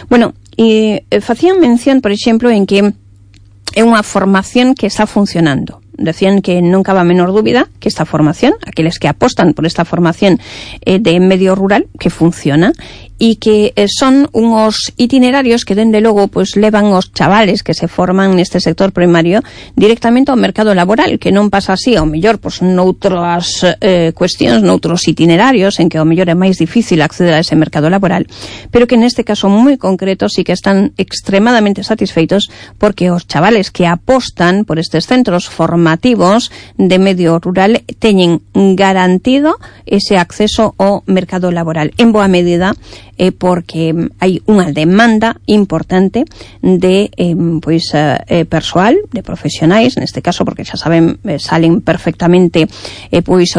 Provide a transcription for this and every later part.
Bueno, facían mención, por exemplo, en que é unha formación que está funcionando. Decían que non cabe a menor dúbida que esta formación, aqueles que apostan por esta formación de medio rural, que funciona, e que son unos itinerarios que dende logo pues levan os chavales que se forman neste sector primario directamente ao mercado laboral, que non pasa así ao mellor pues noutras cuestións, noutros itinerarios en que ao mellor é máis difícil acceder a ese mercado laboral, pero que neste caso moi concreto sí que están extremadamente satisfeitos porque os chavales que apostan por estes centros formativos de medio rural teñen garantido ese acceso ao mercado laboral, en boa medida porque hai unha demanda importante de persoal, de profesionais, neste caso porque xa saben, salen perfectamente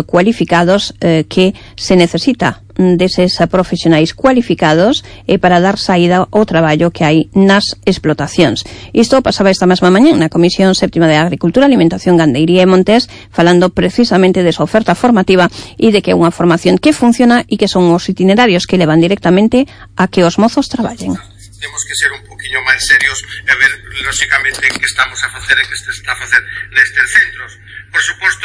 cualificados, que se necesita deses profesionais cualificados para dar saída ao traballo que hai nas explotacións. Isto pasaba esta mesma mañá na Comisión Séptima de Agricultura, Alimentación, Gandeiría e Montes, falando precisamente desa oferta formativa e de que é unha formación que funciona e que son os itinerarios que levan directamente a que os mozos traballen. Temos que ser un poquinho máis serios e ver, lóxicamente, que estamos a facer e que se está a facer nestes centros. Por suposto,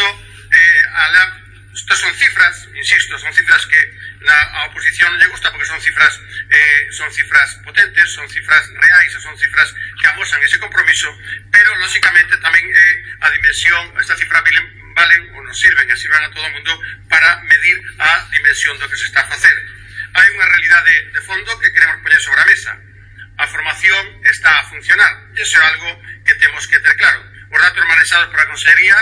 estas son cifras, insisto, son cifras que a oposición lle gusta porque son cifras potentes, son cifras reais, son cifras que amosan ese compromiso, pero lóxicamente tamén a dimensión, esta cifra valen ou nos sirven e sirven a todo o mundo para medir a dimensión do que se está a facer. Hai unha realidade de fondo que queremos poñer sobre a mesa. A formación está a funcionar, e iso é algo que temos que ter claro. Os datos manejados por a Consellería,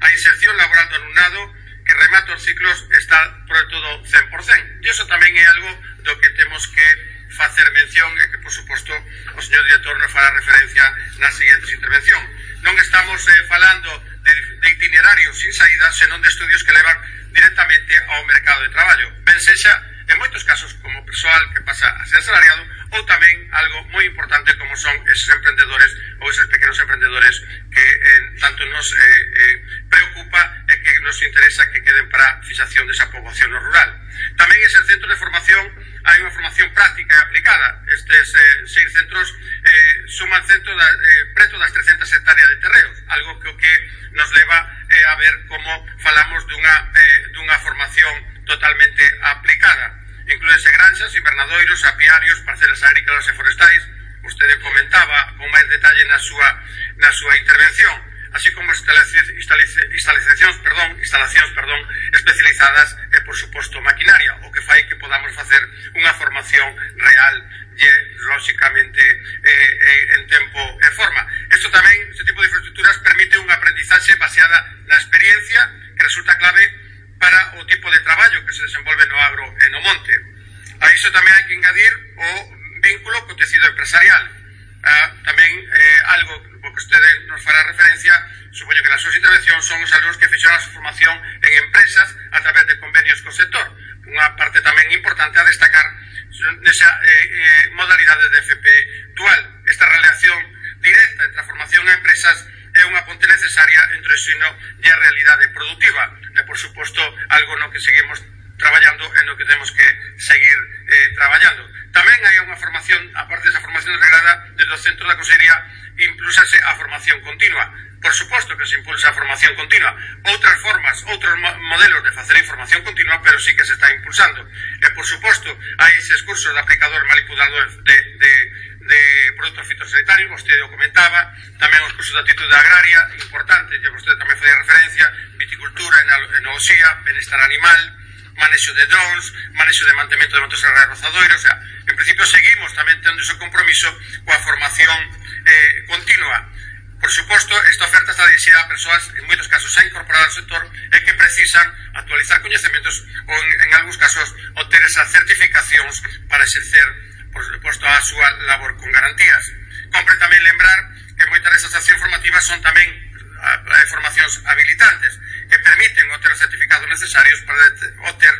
a inserción laboral do alumnado que remata os ciclos está por todo 100%. E iso tamén é algo do que temos que facer mención e que, por suposto, o señor director nos fará referencia nas seguintes intervencións. Non estamos falando de itinerarios sin saída, senón de estudios que levan directamente ao mercado de traballo. Ben sexa, en moitos casos, como persoal que pasa a ser asalariado, ou tamén algo moi importante como son esos emprendedores ou esos pequenos emprendedores que tanto nos preocupa e que nos interesa que queden para a fixación desa poboación rural. Tamén ese centro de formación, hai unha formación práctica e aplicada. Estes 6 centros suman preto das 300 hectáreas de terreos, algo que nos leva a ver como falamos dunha formación totalmente aplicada. Inclúense granxas, invernadoiros, apiarios, parcelas agrícolas e forestais. Vostede comentaba con máis detalle na súa intervención, así como instalacións especializadas e, por suposto, maquinaria, o que fai que podamos facer unha formación real e, lóxicamente, en tempo e forma. Isto tamén, este tipo de infraestructuras permite unha aprendizaxe baseada na experiencia que resulta clave para o tipo de traballo que se desenvolve no agro e no monte. A iso tamén hai que engadir o vínculo co tecido empresarial. Tamén algo que vostede nos fará referencia, supoño que nas súas intervencións, son os alumnos que fixeron a súa formación en empresas a través de convenios co sector. Unha parte tamén importante a destacar nesa modalidade de FP dual. Esta relación directa entre a formación e empresas é unha ponte necesaria entre o ensino e a realidade productiva. E, por suposto, algo no que seguimos traballando e no que temos que seguir traballando. Tamén hai unha formación, aparte desa formación reglada, desde o centro da Consellería impulsase a formación continua. Por suposto que se impulsa a formación continua. Outras formas, outros modelos de facer información continua, pero sí que se está impulsando. E, por suposto, hai eses cursos de aplicador manipulador de produtos fitosanitarios, vostede o comentaba, tamén os cursos de actitude agraria, importante, que vostede tamén fai referencia, viticultura, enoloxía, benestar animal, manexo de drones, manexo de mantemento de motos agrarios rozadoiros, o sea, en principio seguimos tamén tendo ese compromiso coa formación continua. Por suposto, esta oferta está dirigida a persoas, en moitos casos, xa incorporadas ao sector e que precisan actualizar coñecementos ou, en algúns casos, obter esas certificacións para exercer, por suposto, a súa labor con garantías. Compre tamén lembrar que moitas desas accións formativas son tamén formacións habilitantes que permiten obter os certificados necesarios para obter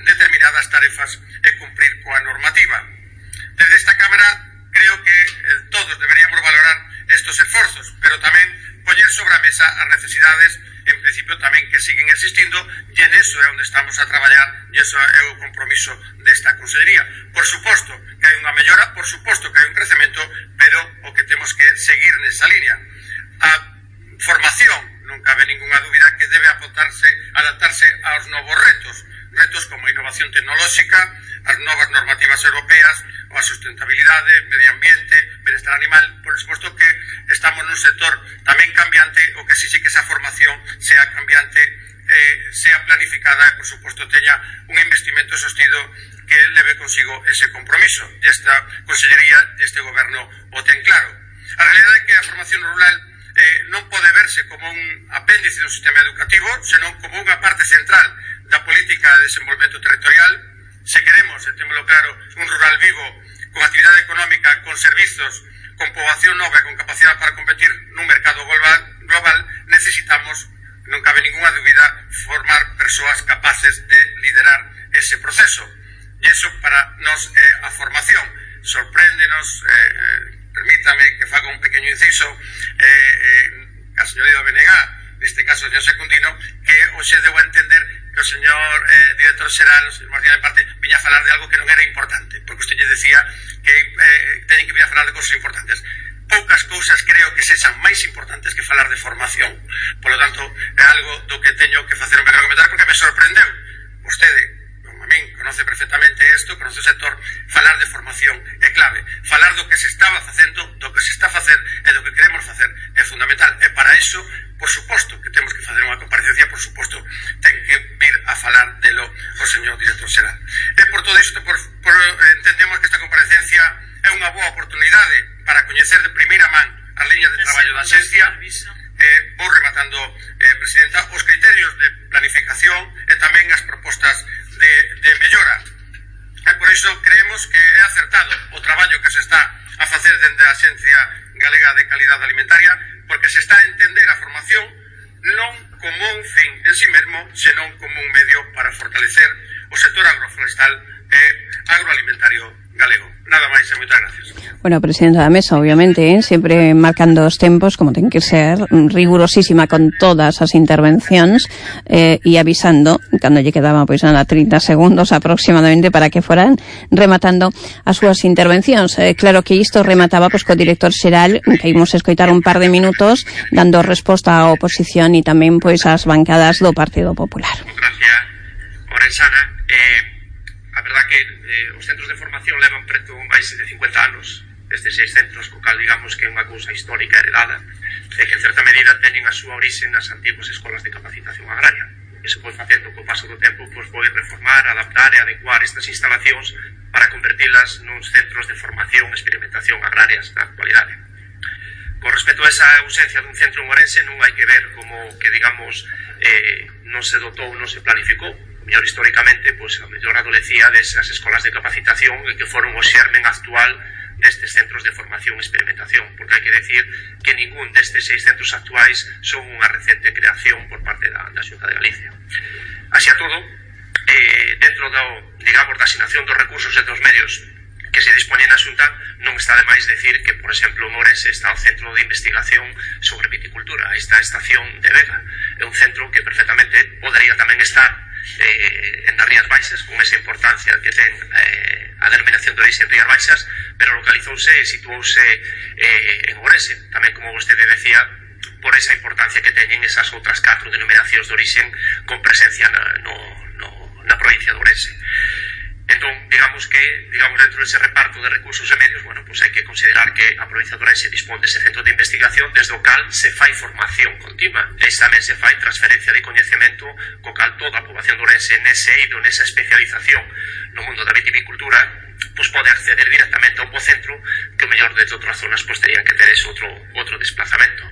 determinadas tarefas e cumprir coa normativa. Desde esta Cámara creo que todos deberíamos valorar estos esforzos, pero tamén poñer sobre a mesa as necesidades en principio tamén que siguen existindo, e en eso é onde estamos a traballar, e eso é o compromiso desta Consellería. Por suposto que hai unha mellora, por suposto que hai un crecemento, pero o que temos que seguir nesa línea. A formación, non cabe ninguna dúbida que debe adaptarse aos novos retos como a innovación tecnolóxica, as novas normativas europeas, a sustentabilidade, medio ambiente, benestar animal. Por suposto que estamos nun sector tamén cambiante, o que sí que esa formación sea cambiante, sea planificada e, por suposto, teña un investimento sostido que leve consigo ese compromiso. E esta Consellería e este Goberno o ten claro. A realidade é que a formación rural non pode verse como un apéndice do sistema educativo, senón como unha parte central da política de desenvolvemento territorial. Se queremos, e témolo claro, un rural vivo, con actividade económica, con servizos, con poboación nova e con capacidade para competir nun mercado global, necesitamos, non cabe ninguna dúbida, formar persoas capaces de liderar ese proceso. E iso para nos a formación sorpréndenos, permítame que faga un pequeño inciso, a señoría Benegá, neste caso o señor Secundino, que hoxe deu a entender que o señor director xeral, o señor Martínez Parte, viña a falar de algo que non era importante, porque usted lle decía que teñen que vir a falar de cousas importantes. Poucas cousas creo que sexan máis importantes que falar de formación. Por lo tanto, é algo do que teño que facer un pequeno comentario, porque me sorprendeu. Vostede, como a min, conoce perfectamente isto, conoce o sector, falar de formación é clave. Falar do que se estaba facendo, do que se está a facer e do que queremos facer é fundamental. E para iso, por suposto que temos que facer unha comparecencia, por suposto, ten que vir a falar delo o señor director xeral. E por todo isto, entendemos que esta comparecencia é unha boa oportunidade para coñecer de primeira man as liñas de traballo da Axencia. Vou rematando, Presidenta, os criterios de planificación e tamén as propostas de mellora. E por iso creemos que é acertado o traballo que se está a facer dende a Axencia Galega de Calidade Alimentaria, porque se está a entender a formación non como un fin en sí mesmo, senón como un medio para fortalecer o sector agroforestal e agroalimentario galego. Nada máis e moitas gracias. Bueno, Presidenta da Mesa, obviamente, sempre marcando os tempos, como ten que ser, rigurosísima con todas as intervencións e avisando, cando lle quedaba pois nada 30 segundos aproximadamente para que foran rematando as súas intervencións. Claro que isto remataba pois co director xeral, que imos escoitar un par de minutos dando resposta á oposición e tamén pois ás bancadas do Partido Popular. Gracias, Orensana. A verdad que os centros de formación levan preto máis de 50 anos, destes 6 centros, co cal digamos que é unha cousa histórica heredada, e que en certa medida teñen a súa orixe nas antiguas escolas de capacitación agraria. E se foi facendo co paso do tempo, pois foi reformar, adaptar e adecuar estas instalacións para convertilas nuns centros de formación e experimentación agrarias da actualidade. Con respecto a esa ausencia dun centro en Ourense, non hai que ver como que, digamos, non se dotou, non se planificou. Mellor históricamente, pois a mellor adolecía desas escolas de capacitación e que foron o xermen actual destes centros de formación e experimentación, porque hai que decir que ningún destes 6 centros actuais son unha recente creación por parte da Xunta de Galicia. Así a todo, dentro digamos, da asignación dos recursos e dos medios que se dispoñen na Xunta, non está de máis decir que, por exemplo, en Ourense está o Centro de Investigación sobre Viticultura, esta estación de Vega. É un centro que perfectamente podería tamén estar en das Rías Baixas, con esa importancia que ten a denominación de orixe en Rías Baixas, pero localizouse e situouse en Ourense, tamén, como vostede decía, por esa importancia que teñen esas outras 4 denominacións de orixe con presencia na provincia de Ourense. Entón, digamos que dentro dese reparto de recursos e medios, bueno, pues hai que considerar que a provincia de Ourense dispón dese centro de investigación desde o cal se fai formación continua e tamén se fai transferencia de coñecemento co cal toda a poboación de Ourense nese eido, nesa especialización no mundo da viticultura, pues pode acceder directamente a un bo centro que o mellor de outras zonas pues terían que ter ese outro desplazamento.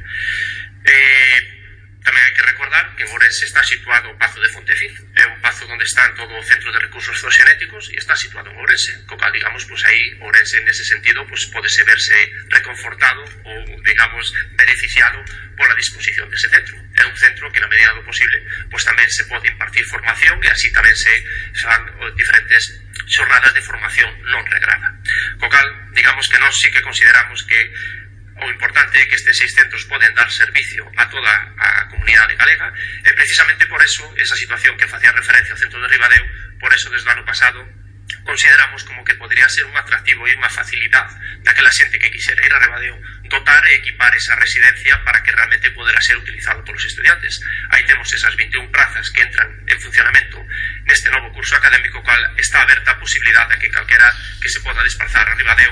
Tamén hai que recordar que en Ourense está situado o Pazo de Fonteciz, é un pazo onde están todo o Centro de Recursos Zooxenéticos e está situado en Ourense, co cal, digamos, pues aí Ourense nese sentido pues podese verse reconfortado ou, digamos, beneficiado pola disposición dese centro. É un centro que na medida do posible pues tamén se pode impartir formación e así tamén se fan diferentes xornadas de formación non regrada. Co cal, digamos que nós sí que consideramos que o importante é que estes 6 centros poden dar servicio a toda a comunidade galega, e precisamente por eso, esa situación que facía referencia ao centro de Ribadeo, por eso desde o ano pasado consideramos como que podría ser un atractivo e unha facilidade daquela xente que quixera ir a Ribadeo, dotar e equipar esa residencia para que realmente podera ser utilizado polos estudiantes. Aí temos esas 21 prazas que entran en funcionamento neste novo curso académico, cual está aberta a posibilidade de que calquera que se poda desplazar a Ribadeo,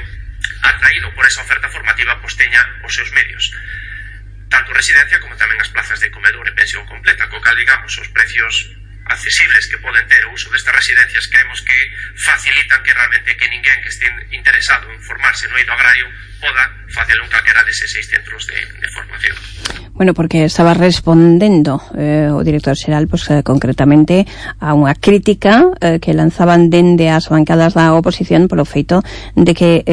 atraído por esa oferta formativa, pues teña os seus medios, tanto residencia como tamén as plazas de comedor e pensión completa, co cal, digamos, os precios accesibles que poden ter o uso destas residencias creemos que facilitan que realmente que ninguén que este interesado en formarse no eido agrario poda facelo en calquera deses 6 centros de formación. Bueno, porque estaba respondendo o director xeral, pues, concretamente a unha crítica que lanzaban dende as bancadas da oposición polo feito de que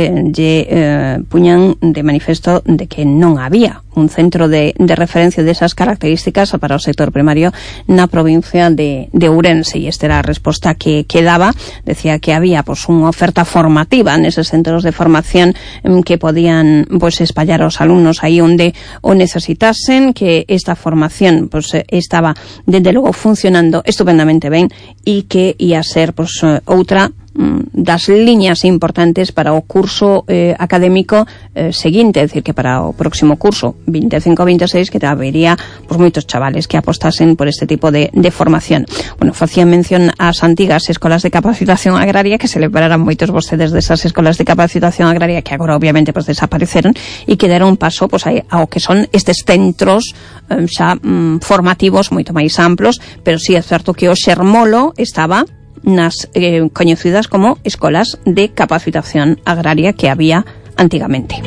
puñan de manifesto de que non había un centro de referencia desas características para o sector primario na provincia de Ourense, e esta era a resposta que daba. Decía que había pues unha oferta formativa neses centros de formación que podían pues espallar aos alumnos aí onde o necesitasen, que esta formación pues estaba desde logo funcionando estupendamente ben e que ia ser pues outra das liñas importantes para o curso académico seguinte, é dicir, que para o próximo curso 25-26 que habería pues moitos chavales que apostasen por este tipo de formación. Bueno, facía mención ás antigas escolas de capacitación agraria, que celebraran moitos vostedes desas escolas de capacitación agraria que agora obviamente pues desapareceron e que deron paso pues ao que son estes centros xa formativos moito máis amplos, pero sí é certo que o xermolo estaba nas coñecidas como escolas de capacitación agraria que había antigamente.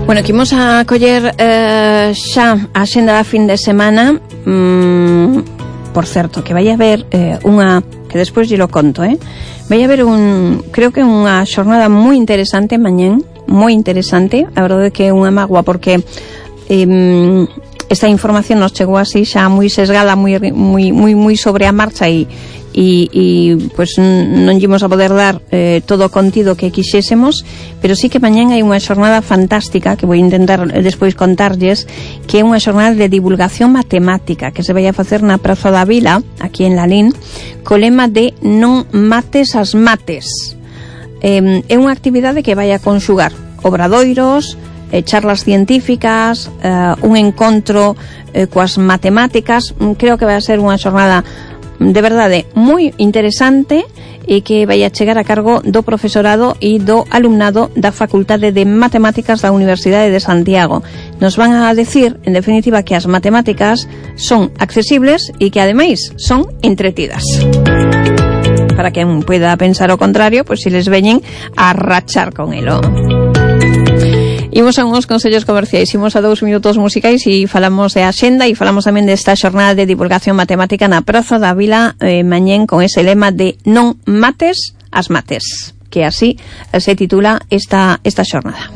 Bueno, que imos a coller xa a xenda da fin de semana. Por certo, que vai haber unha, que despois lle lo conto, vai haber creo que unha xornada moi interesante mañén, moi interesante. A verdade que é unha mágoa porque esta información nos chegou así xa moi sesgada, moi sobre a marcha e pues non ímos a poder dar todo o contido que quixésemos, pero sí que mañán hai unha xornada fantástica que vou intentar despois contarlles, que é unha xornada de divulgación matemática que se vai a facer na Praza da Vila, aquí en Lalín, co lema de non mates as mates. É unha actividade que vai a conxugar obradoiros, charlas científicas, un encontro coas matemáticas. Creo que vai a ser unha xornada de verdade moi interesante e que vai a chegar a cargo do profesorado e do alumnado da Facultade de Matemáticas da Universidade de Santiago. Nos van a decir, en definitiva, que as matemáticas son accesibles e que ademais son entretidas. Para quen pueda pensar o contrario, pois se les veñen a rachar con elo. Imos a uns consellos comerciais, imos a 2 minutos musicais e falamos de axenda e falamos tamén desta xornada de divulgación matemática na Praza da Vila mañén con ese lema de non mates as mates, que así se titula esta xornada.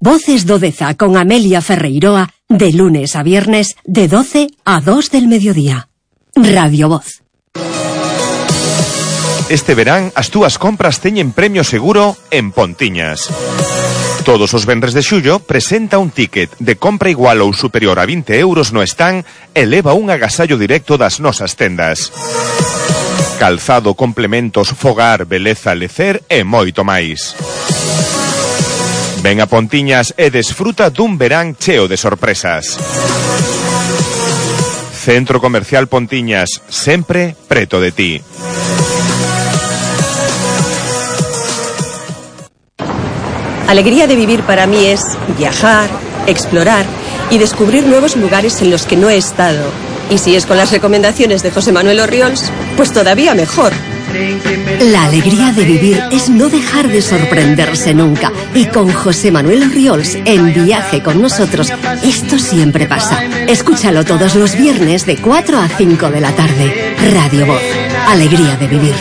Voces do Deza con Amelia Ferreiroa de lunes a viernes de 12 a 2 del mediodía. Radio Voz. Este verán as túas compras teñen premio seguro en Pontiñas. Todos os venres de xullo presenta un ticket de compra igual ou superior a 20 euros no stand e leva un agasallo directo das nosas tendas. Calzado, complementos, fogar, beleza, lecer e moito máis. Ven a Pontiñas e desfruta dun verán cheo de sorpresas. Centro Comercial Pontiñas, sempre preto de ti. Alegría de vivir para mí es viajar, explorar y descubrir nuevos lugares en los que no he estado. Y si es con las recomendaciones de José Manuel Orriols, pues todavía mejor. La alegría de vivir es no dejar de sorprenderse nunca. Y con José Manuel Orriols, en Viaje con nosotros, esto siempre pasa. Escúchalo todos los viernes de 4 a 5 de la tarde. Radio Voz. Alegría de vivir.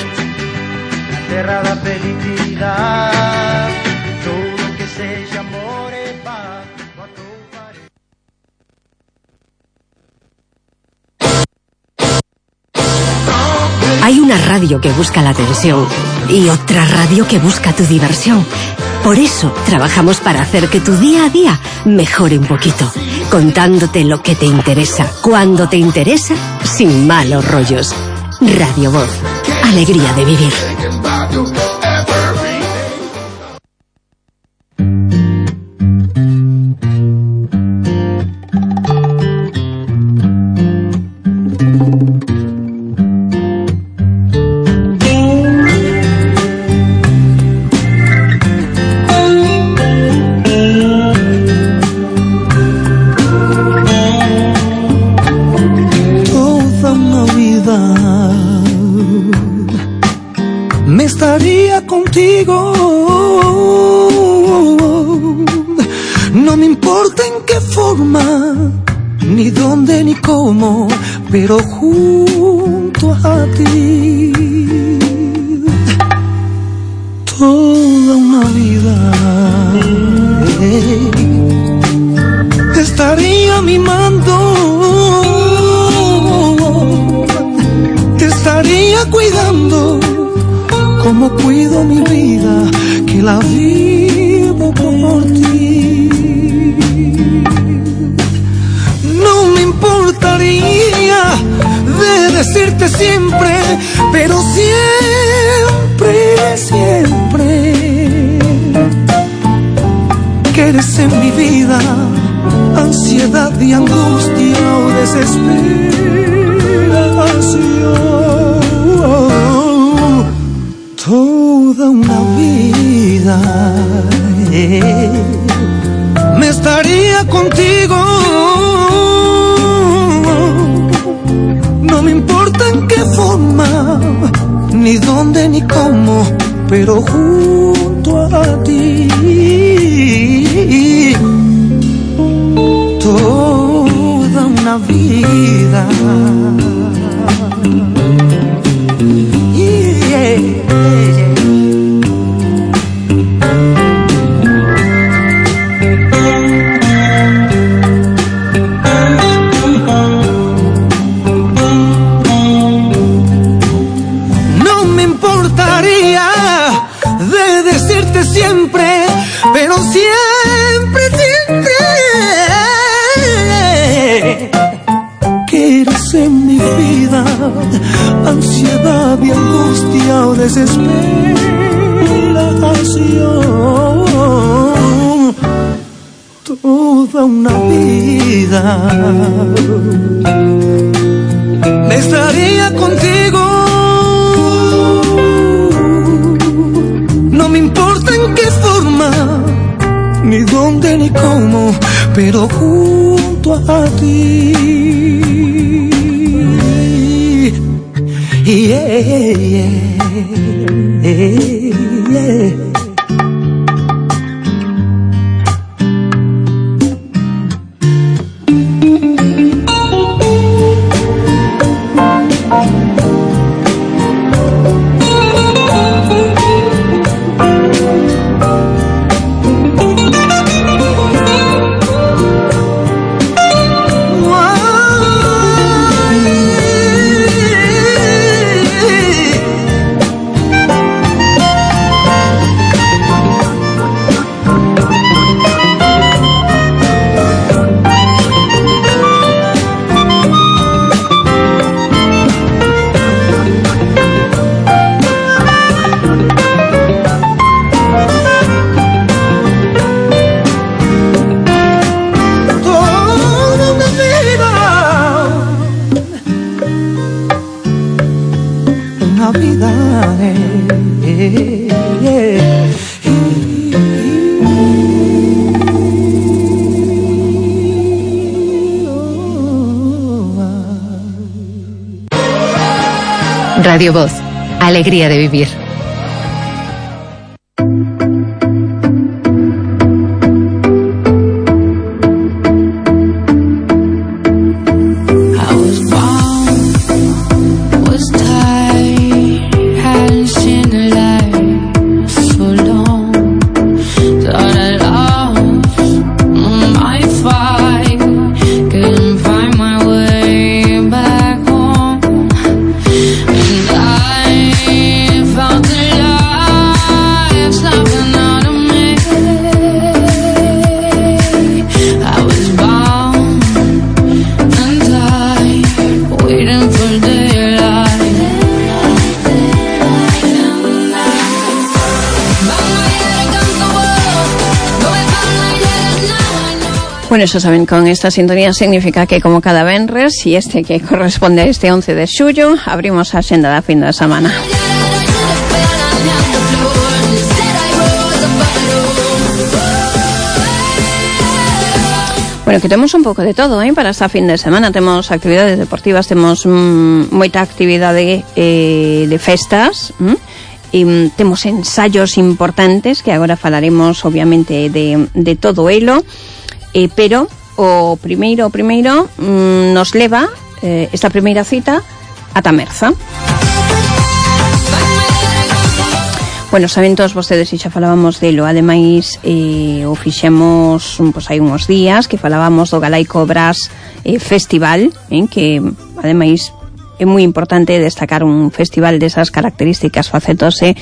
Hay una radio que busca la atención y otra radio que busca tu diversión. Por eso trabajamos para hacer que tu día a día mejore un poquito, contándote lo que te interesa, cuando te interesa, sin malos rollos. Radio Voz. Alegría de vivir. Contigo, no me importa en qué forma, ni dónde ni cómo, pero junto a ti, toda una vida te estaría mimando, te estaría cuidando, como cuido mi vida, que la vivo por ti. No me importaría de decirte siempre, pero siempre, siempre, que eres en mi vida ansiedad y angustia o desesperación. Toda una vida me estaría contigo, no me importa en qué forma, ni dónde ni cómo, pero junto a ti, toda una vida. No me importaría de decirte siempre, pero siempre, siempre, que eres en mi vida ansiedad y angustia o desesperación. Toda una vida me estaría contigo, no me importa en qué forma, ni dónde ni cómo, pero junto a ti. Yeah, yeah, yeah. Radio Voz, Alegría de vivir. Bueno, eso saben, con esta sintonía significa que como cada venres y este que corresponde a este 11 de xullo, abrimos a xenda da fin de semana. Bueno, que temos un pouco de todo, para esta fin de semana. Temos actividades deportivas, temos moita actividade de festas, e temos ensayos importantes que agora falaremos obviamente de todo elo. Pero o primeiro nos leva esta primeira cita a Tamerza. Bueno, saben todos vostedes, e xa falábamos delo, ademais o fixemos hai uns días que falábamos do Galaico Brass Festival, que ademais é moi importante destacar un festival desas características facéndose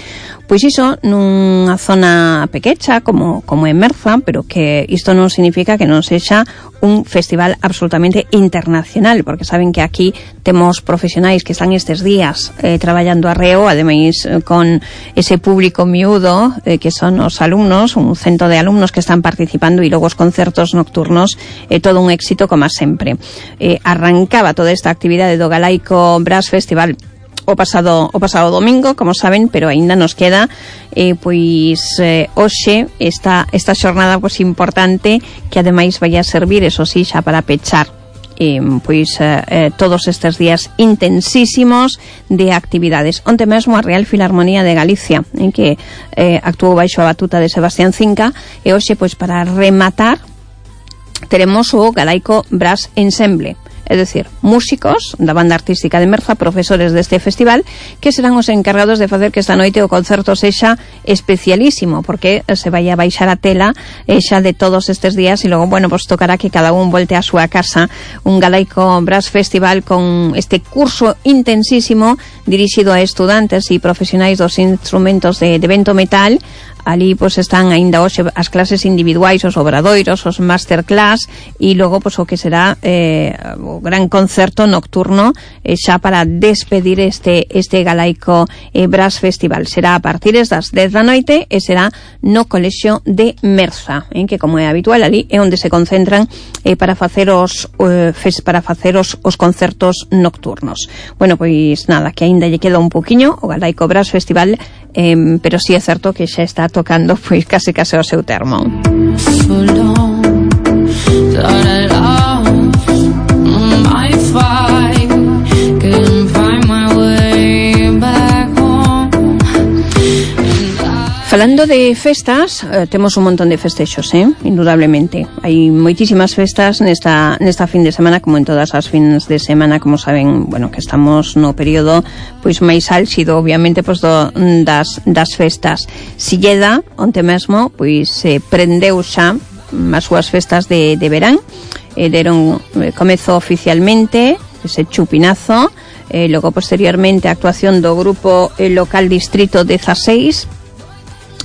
pois iso nunha zona pequecha como é Merza, pero que isto non significa que non sexa un festival absolutamente internacional, porque saben que aquí temos profesionais que están estes días traballando arreo, ademais con ese público miúdo que son os alumnos, un cento de alumnos que están participando, e logo os concertos nocturnos, todo un éxito como sempre. Arrancaba toda esta actividade do Galaico Brass Festival o pasado domingo, como saben, pero aínda nos queda hoxe esta xornada importante que ademais vai a servir, eso sí, xa para pechar todos estes días intensísimos de actividades. Onte mesmo a Real Filarmonía de Galicia, en que actuou baixo a batuta de Sebastián Cinca, e hoxe, para rematar, teremos o Galaico Brass Ensemble, es decir, músicos da banda artística de Merza, profesores deste festival, que serán os encargados de facer que esta noite o concerto sexa especialísimo, porque se vai a baixar a tela xa de todos estes días, e logo, tocará que cada un volte a súa casa. Un Galaico Brass Festival con este curso intensísimo dirixido a estudantes e profesionais dos instrumentos de vento metal. Ali están aínda hoxe as clases individuais, os obradoiros, os masterclass, e logo o que será o gran concerto nocturno xa para despedir este Galaico Brass Festival. Será a partir das 10 da noite e será no Colexio de Merza, que, como é habitual, ali é onde se concentran para facer os concertos nocturnos. Bueno, nada, que aínda lle queda un poquinho o Galaico Brass Festival, pero sí é certo que xa está tocando case o seu termo. Falando de festas, temos un montón de festexos, indudablemente. Hai moitísimas festas nesta fin de semana, como en todas as fins de semana, como saben, que estamos no período máis álxido, obviamente, das festas. Silleda, onte mesmo, prendeu xa as súas festas de verán, deron comezo oficialmente ese chupinazo, logo posteriormente a actuación do grupo local Distrito 16,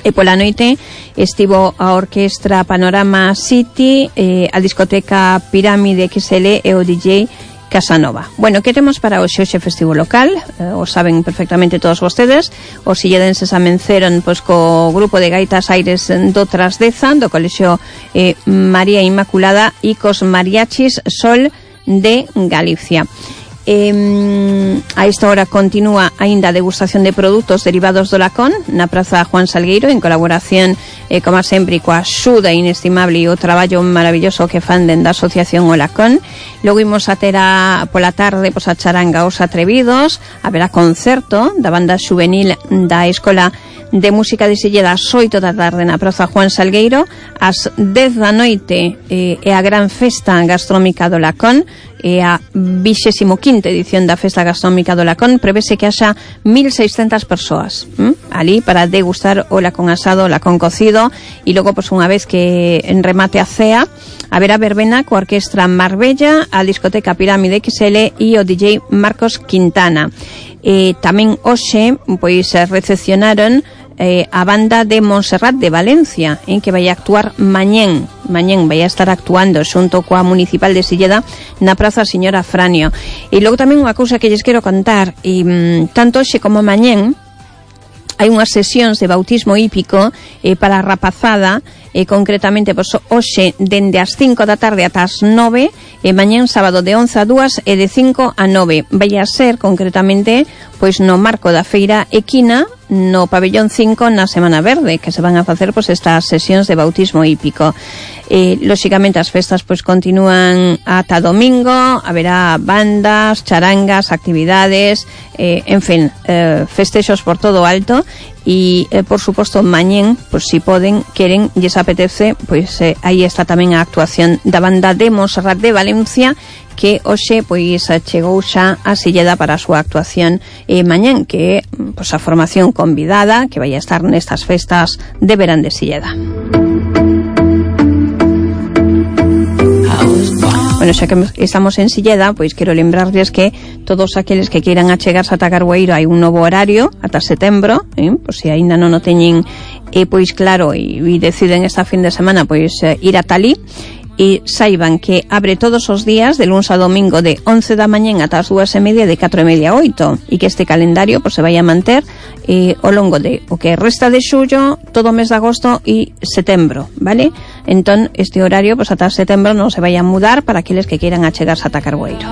e pola noite estivo a Orquestra Panorama City, a discoteca Pirámide XL e o DJ Casanova. Bueno, que temos para hoxe festivo local? O saben perfectamente todos vostedes. Os silledenses amenceron co grupo de gaitas Aires do Trasdeza, do Colexio María Inmaculada, e cos mariachis Sol de Galicia. A esta hora continúa aínda a degustación de produtos derivados do lacón na Praza Juan Salgueiro, en colaboración, como sempre, coa axuda inestimable e o traballo maravilloso que fan dende a Asociación O Lacón. Logo imos a ter pola tarde pois a charanga Os Atrevidos, haberá concerto da banda juvenil da Escola de Música de Silleda ás 8 da tarde na Praza Juan Salgueiro, ás 10 da noite é a gran festa gastronómica do Lacón, é a 25ª edición da Festa Gastronómica do Lacón. Prevese que haxa 1.600 persoas ali para degustar o lacón asado, o lacón cocido, e logo, pois, unha vez que en remate a cea, haberá verbena coa Orquestra Marbella, a discoteca Pirámide XL e o DJ Marcos Quintana. Tamén hoxe, pois, recepcionaron a banda de Montserrat de Valencia, que vai a actuar mañén vai a estar actuando xunto coa Municipal de Silleda na Praza Señora Franio. E logo tamén unha cousa que lles quero contar, tanto hoxe como mañén hai unhas sesións de bautismo hípico para a rapazada, concretamente pois, hoxe dende as 5 da tarde ata as 9, e mañén sábado de 11 a 2 e de 5 a 9. Vai a ser concretamente pois no marco da feira equina no pabellón 5 na Semana Verde, que se van a facer pois estas sesións de bautismo hípico. Lóxicamente as festas pois continúan ata domingo, haberá bandas, charangas, actividades, en fin, festexos por todo o alto. E, por suposto, mañén, pois, si poden, queren, lles apetece, pois, aí está tamén a actuación da banda de Montserrat de Valencia, que hoxe, pois, chegou xa a Silleda para a súa actuación mañén, que é, pois, a formación convidada que vai a estar nestas festas de verán de Silleda. Bueno, xa que estamos en Silleda, pois quero lembrarles que todos aqueles que queiran achegarse ata Carboeiro hai un novo horario ata setembro, pois se aínda non o teñen, pois claro, e deciden esta fin de semana pois ir ata ali, e saiban que abre todos os días de luns a domingo de 11 da mañén ata as 2:30 de 4:30 a 8, e que este calendario pois se vai a manter ao longo de o que resta de xullo, todo o mes de agosto e setembro, vale? Entón, este horario pois ata setembro non se vai a mudar para aqueles que queiran achegarse ata Carboeiro.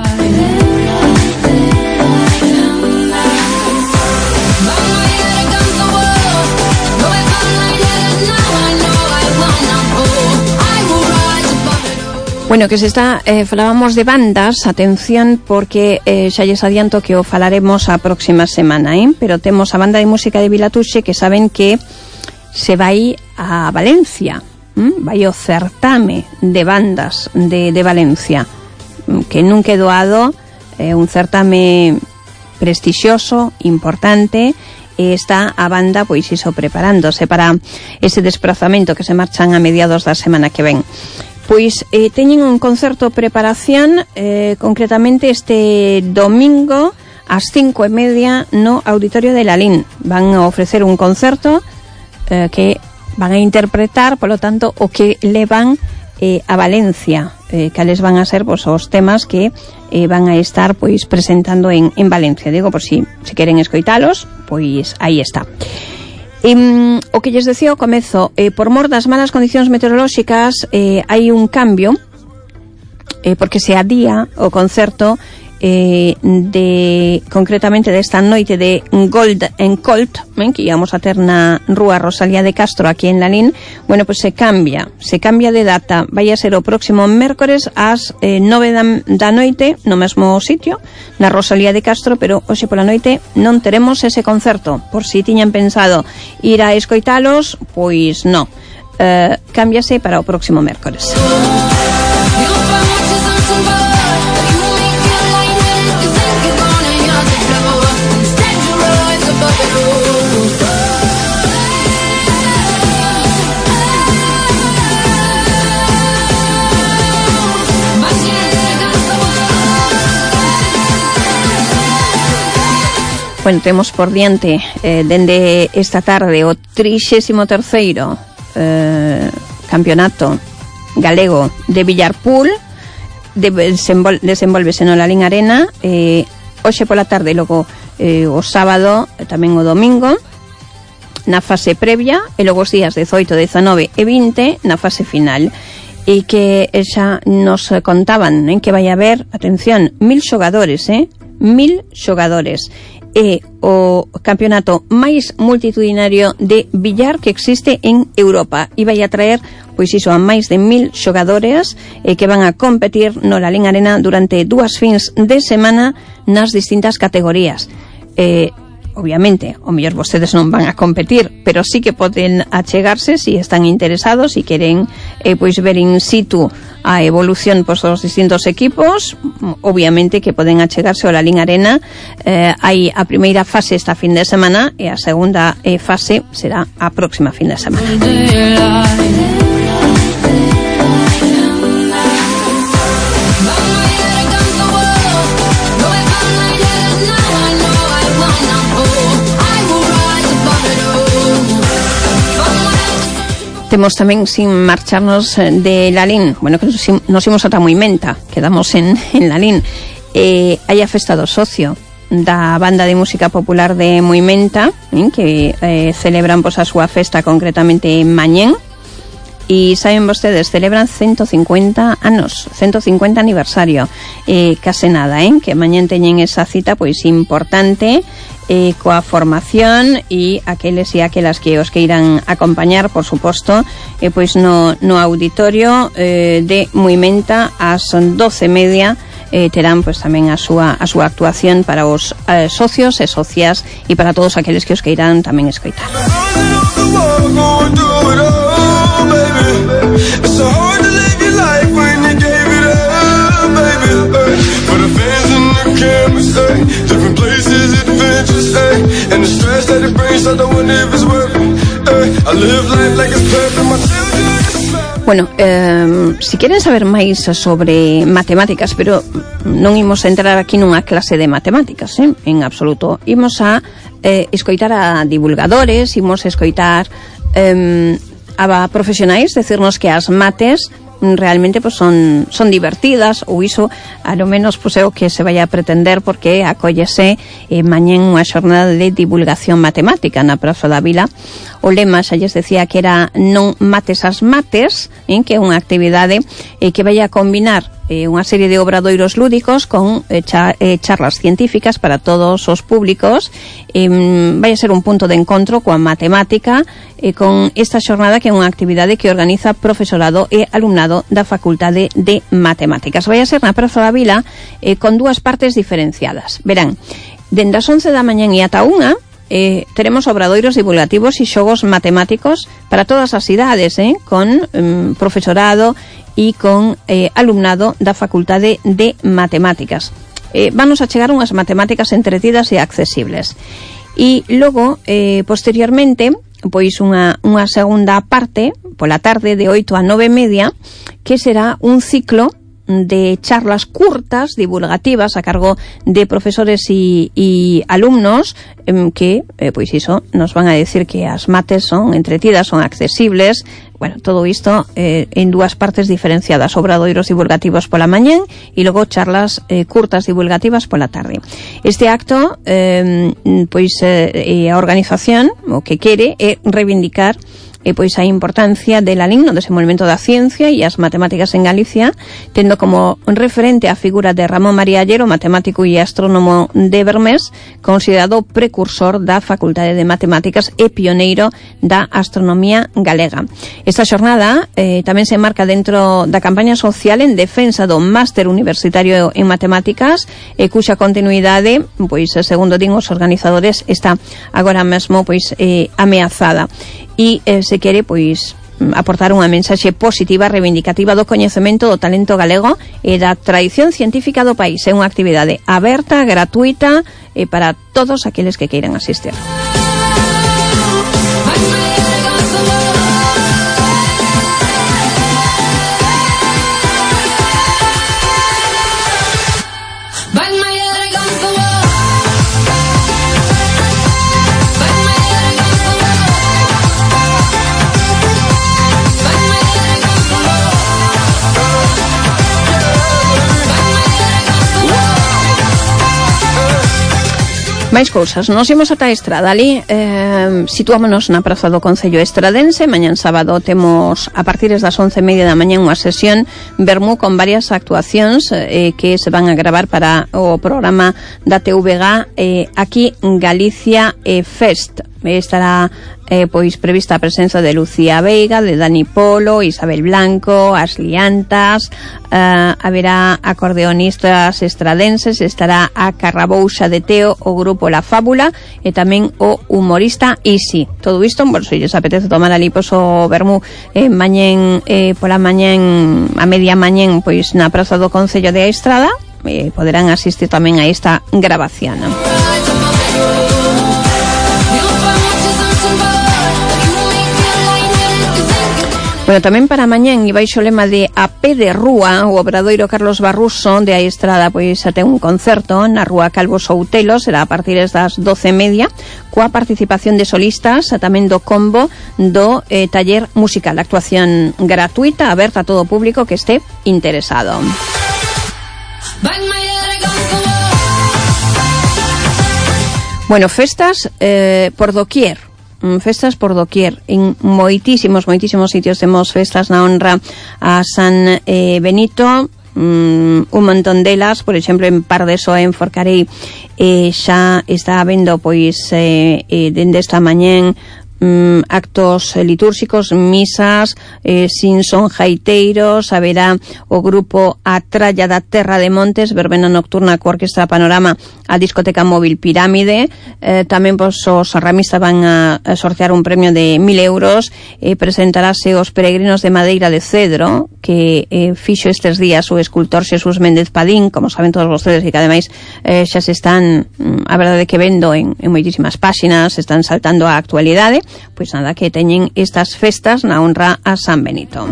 Bueno, que se está, falábamos de bandas, atención, porque xa lles adianto que o falaremos a próxima semana, pero temos a banda de música de Vilatuxe que saben que se vai a Valencia, vai o certame de bandas de Valencia, que nunca é doado, un certame prestixioso, importante, e está a banda pois iso preparándose para ese desplazamento que se marchan a mediados da semana que ven. Pois teñen un concerto de preparación concretamente este domingo ás 5:30 no Auditorio de Lalín. Van a ofrecer un concerto que van a interpretar, polo tanto, o que levan a Valencia, cales van a ser pois, os temas que van a estar pois presentando en Valencia. Digo, por si queren escoitalos, pois aí está. O que lles decía ao comezo, por mor das malas condicións meteorolóxicas hai un cambio, porque se adía o concerto concretamente desta noite de Gold and Colt, que íbamos a ter na Rúa Rosalía de Castro aquí en Lalín. Bueno, pues se cambia de data, vai a ser o próximo mércores ás 9 da noite no mesmo sitio, na Rosalía de Castro, pero hoxe pola noite non teremos ese concerto. Por si tiñan pensado ir a escoitalos, pois non, cámbiase para o próximo mércores. Bueno, temos por diante dende esta tarde o 33º campeonato galego de billarpool, desenvolvese no Lalín Arena, hoxe pola tarde, logo o sábado, tamén o domingo na fase previa, e logo os días 18, 19 e 20 na fase final. E que xa nos contaban que vai haber, atención, 1000 xogadores, 1000 xogadores. É o campeonato máis multitudinario de billar que existe en Europa e vai atraer, pois iso, a máis de 1000 xogadores que van a competir no Lalín Arena durante 2 fins de semana nas distintas categorías. Obviamente, o mellor vostedes non van a competir, pero sí que poden achegarse se están interesados e queren pois ver in situ a evolución pois, dos distintos equipos. Obviamente que poden achegarse ao Lalín Arena. Hai a primeira fase esta fin de semana e a segunda fase será a próxima fin de semana. Temos tamén, sin marcharnos de Lalín, bueno, que nos imos ata Moimenta, quedamos en Lalín, hai a festa do socio da banda de música popular de Moimenta, que celebran pois, a súa festa concretamente mañén, e saben vostedes, celebran 150 anos, 150 aniversario, case nada, que mañén teñen esa cita pois importante, coa formación e aqueles e aquelas que os queiran acompañar, por suposto, pois no auditorio de Moimenta ás 12:30 terán pois tamén a súa actuación para os socios e socias e para todos aqueles que os queiran tamén escoitar. Different places, adventures, and the stress that it brings, I don't wonder if it's worth it. I live life like it's perfect, my children. Bueno, si queren saber máis sobre matemáticas, pero non imos entrar aquí nunha clase de matemáticas, en absoluto. Imos a escoitar a divulgadores, imos a escoitar a profesionais, decirnos que as mates realmente pues son divertidas, ou iso a lo menos pues é o que se vai a pretender, porque acóllese mañén unha xornada de divulgación matemática na Praza da Vila. O lema xa lles decía que era non mates as mates, que é unha actividade que vai a combinar unha serie de obradoiros lúdicos con charlas científicas para todos os públicos. Vai a ser un punto de encontro coa matemática con esta xornada, que é unha actividade que organiza profesorado e alumnado da Facultade de Matemáticas. Vai a ser na Praza da Vila con 2 partes diferenciadas. Verán, dende as 11 da mañán e ata 1 teremos obradoiros divulgativos e xogos matemáticos para todas as idades, con profesorado e con alumnado da Facultade de Matemáticas. Vanos a chegar unhas matemáticas entretidas e accesibles. E logo, posteriormente, pois unha segunda parte, pola tarde de 8 a 9:30, que será un ciclo de charlas curtas, divulgativas, a cargo de profesores e alumnos, que, pois iso, nos van a decir que as mates son entretidas, son accesibles. Bueno, todo isto en 2 partes diferenciadas, obradoiros divulgativos pola mañán e logo charlas curtas divulgativas pola tarde. Este acto, pois a organización o que quere é reivindicar pois a importancia de Lalín no desenvolvemento da ciencia e as matemáticas en Galicia, tendo como referente a figura de Ramón María Allero, matemático e astrónomo de Bermés, considerado precursor da Facultade de Matemáticas e pioneiro da astronomía galega. Esta xornada tamén se marca dentro da campaña social en defensa do máster universitario en matemáticas, cuxa continuidade, pois segundo din os organizadores, está agora mesmo pois ameazada. E se quere pois aportar unha mensaxe positiva, reivindicativa do coñecemento do talento galego e da tradición científica do país. É unha actividade aberta, gratuita para todos aqueles que queiran asistir. Máis cousas, nos imos ata a Estrada ali, situámonos na praza do Concello Estradense. Mañán sábado temos a partir das 11:30 da mañá unha sesión vermú con varias actuacións que se van a gravar para o programa da TVG aquí Galicia Fest. Estará pois prevista a presenza de Lucía Veiga, de Dani Polo, Isabel Blanco, as Liantas, haberá acordeonistas estradenses, estará a Carrabouxa de Teo, o grupo La Fábula e tamén o humorista Isi. Todo isto, bueno, se lles apetece tomar ali pois o vermú mañén, pola mañén, a media mañén, pois na praza do Concello de Estrada, poderán asistir tamén a esta grabación. Bueno, tamén para mañán e baixo lema de A Pé de Rúa, o obradoiro Carlos Barruso de a Estrada pois ten un concerto na Rúa Calvo Soutelo, será a partir das 12:30, coa participación de solistas, tamén do combo do taller musical, actuación gratuita, aberta a todo o público que este interesado. Bueno, festas por doquier. Festas por doquier. En moitísimos sitios temos festas na honra a San Benito, un montón delas, por exemplo en Pardeso, en Forcarei, xa está habendo pois dende esta mañén actos litúrxicos, misas, sin son jaiteiros, haberá o grupo A Tralla da Terra de Montes, verbena nocturna coa Orquestra Panorama, a discoteca móvil Pirámide, tamén pois, os ramistas van a sortear un premio de 1.000 euros, presentarase os peregrinos de madeira de cedro, que fixo estes días o escultor Xesús Méndez Padín, como saben todos vostedes, e que ademais xa se están, a verdade que vendo en moitísimas páxinas, se están saltando a actualidade. Pois nada, que teñen estas festas na honra a San Benito.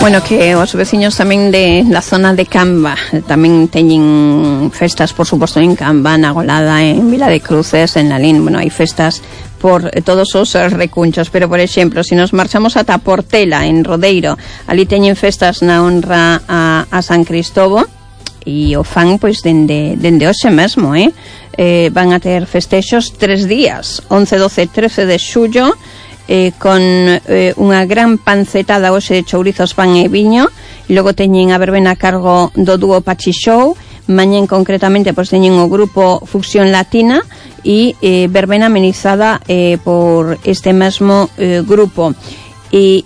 Bueno, que os veciños tamén da zona de Camba tamén teñen festas, por suposto, en Camba, na Golada, en Vila de Cruces, en Lalín. Bueno, hai festas por todos os recunchos, pero, por exemplo, se nos marchamos ata Portela, en Rodeiro, ali teñen festas na honra a San Cristobo, e o fan, pois, dende hoxe mesmo, van a ter festexos 3 días, 11, 12, 13 de xullo, con unha gran pancetada hoxe de chourizos, pan e viño, e logo teñen a verbena a cargo do dúo Pachi Show. Mañén concretamente pois teñen o grupo Fusión Latina e verbena amenizada por este mesmo grupo. E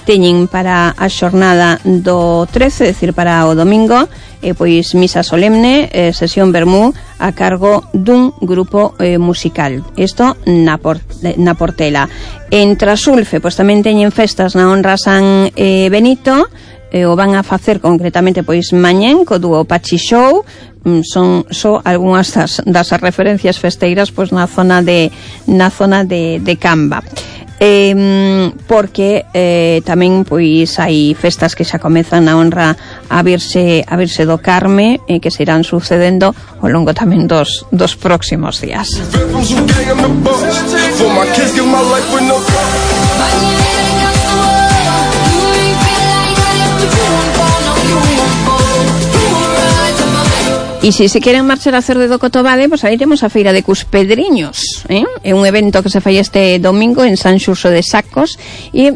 teñen para a xornada do 13, é dicir, para o domingo, pois misa solemne, sesión vermú a cargo dun grupo musical. Isto na Portela. En Trasulfe, pois tamén teñen festas na honra a San Benito, o van a facer concretamente pois mañén co dúo Pachi Show. Son só algunhas das referencias festeiras pois na zona de Camba. Porque tamén pois hai festas que xa comezan na honra a Virxe do Carme, que se irán sucedendo ao longo tamén dos próximos días. E se queren marchar a Cerde do Cotobade, pois aí temos a Feira de Cuspedriños, é un evento que se fai este domingo en San Xurxo de Sacos, e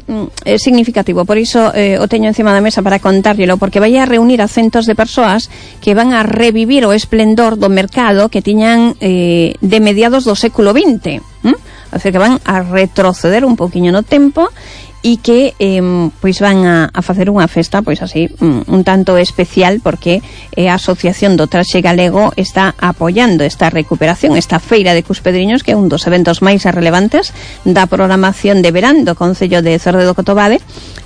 é significativo, por iso o teño encima da mesa para contárllelo, porque vai a reunir a centos de persoas que van a revivir o esplendor do mercado que tiñan de mediados do século XX, o sea que van a retroceder un poquinho no tempo, e que pois van a facer unha festa pois así un tanto especial, porque a Asociación do Traxe Galego está apoiando esta recuperación, esta Feira de Cuspedriños, que é un dos eventos máis relevantes da programación de verán do Concello de Cerde do Cotobade,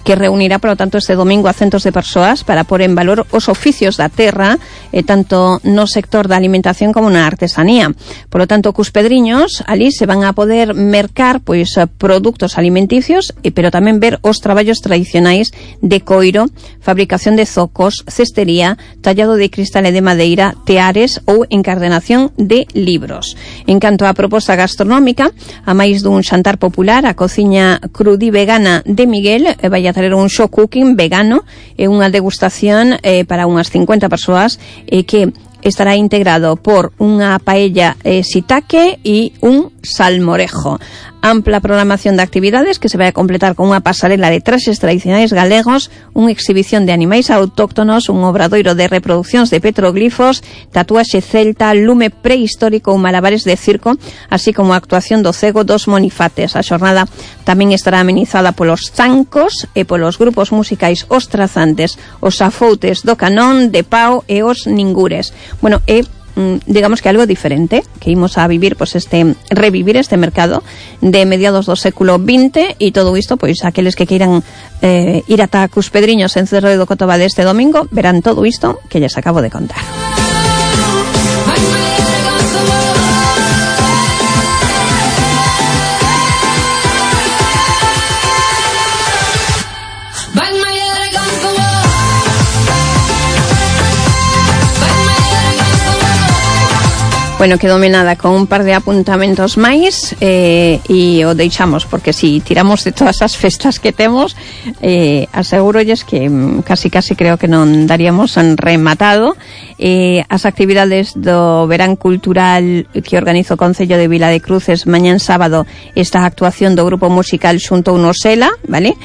que reunirá, por lo tanto, este domingo a centos de persoas para pôr en valor os oficios da terra, tanto no sector da alimentación como na artesanía. Por lo tanto, cos pedriños, ali se van a poder mercar pois produtos alimenticios, pero tamén ver os traballos tradicionais de coiro, fabricación de zocos, cestería, tallado de cristal e de madeira, teares ou encardenación de libros. En canto á proposta gastronómica, a máis dun xantar popular, a cociña crudí vegana de Miguel vai a traer un show cooking vegano e unha degustación para unhas 50 persoas que estará integrado por unha paella shiitake e un salmorejo. Ampla programación de actividades que se vai a completar con unha pasarela de traxes tradicionais galegos, unha exhibición de animais autóctonos, un obradoiro de reproduccións de petroglifos, tatuaxe celta, lume prehistórico ou malabares de circo, así como a actuación do cego dos monifates. A xornada tamén estará amenizada polos zancos e polos grupos musicais Os Trazantes, os Afoutes do Canón, de Pau e os Ningures. Bueno, digamos que algo diferente que imos a vivir, pois revivir este mercado de mediados do século XX, e todo isto, pois aqueles que queiran ir ata cos pedriños en Cerro do Cotobade este domingo verán todo isto que lles acabo de contar. Bueno, quedoume nada con un par de apuntamentos máis e o deixamos, porque si tiramos de todas as festas que temos, asegurolles que casi creo que non daríamos rematado. As actividades do verán cultural que organiza o Concello de Vila de Cruces mañán sábado, esta actuación do grupo musical xunto Unosela, vale?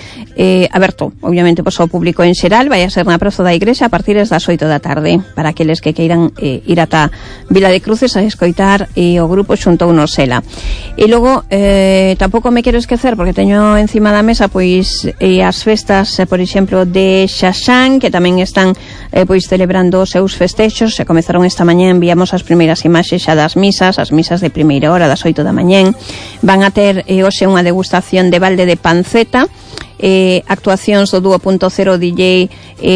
Aberto, obviamente, pois ao público en xeral, vai a ser na praza da Igrexa a partir das 8 da tarde, para aqueles que queiran ir ata Vila de Cruces a escoitar o grupo xunto Unosela. E logo, tampouco me quero esquecer, porque teño encima da mesa pois as festas, por exemplo, de Xaxán, que tamén están pois celebrando os seus festexos. Se comezaron esta mañá, enviamos as primeiras imaxes xa das misas, as misas de primeira hora, das 8 da mañá. Van a ter hoxe unha degustación de balde de panceta, actuacións do dúo .0 DJ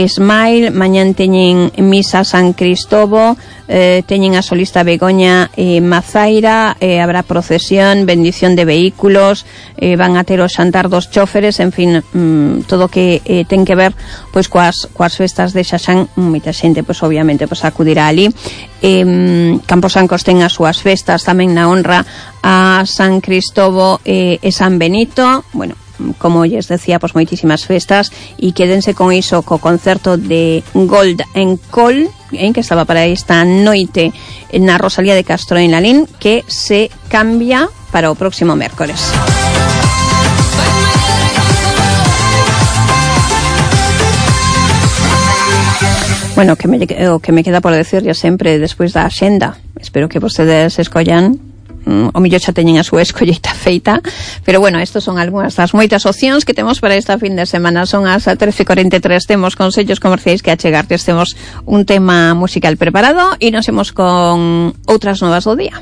Smile. Mañán teñen misa San Cristobo, teñen a solista Begoña Mazaira, habrá procesión, bendición de vehículos, van a ter o xantar dos chóferes, en fin, todo que ten que ver pois coas festas de Xaxán. Moita xente, pois obviamente, pois acudirá ali. Camposancos ten as súas festas tamén na honra a San Cristobo e San Benito. Bueno, como lles decía, pois moitísimas festas, e quédense con iso, co concerto de Gold en Col, que estaba para esta noite na Rosalía de Castro en Lalín, que se cambia para o próximo mércores. Bueno, o que me queda por decirlle sempre despois da axenda, espero que vostedes escollan, o millor xa teñen a súa escolleita feita, pero bueno, estos son algunhas das moitas opcións que temos para esta fin de semana. Son as 13:43, temos consellos comerciais que achegartes, temos un tema musical preparado e nos vemos con outras novas do día.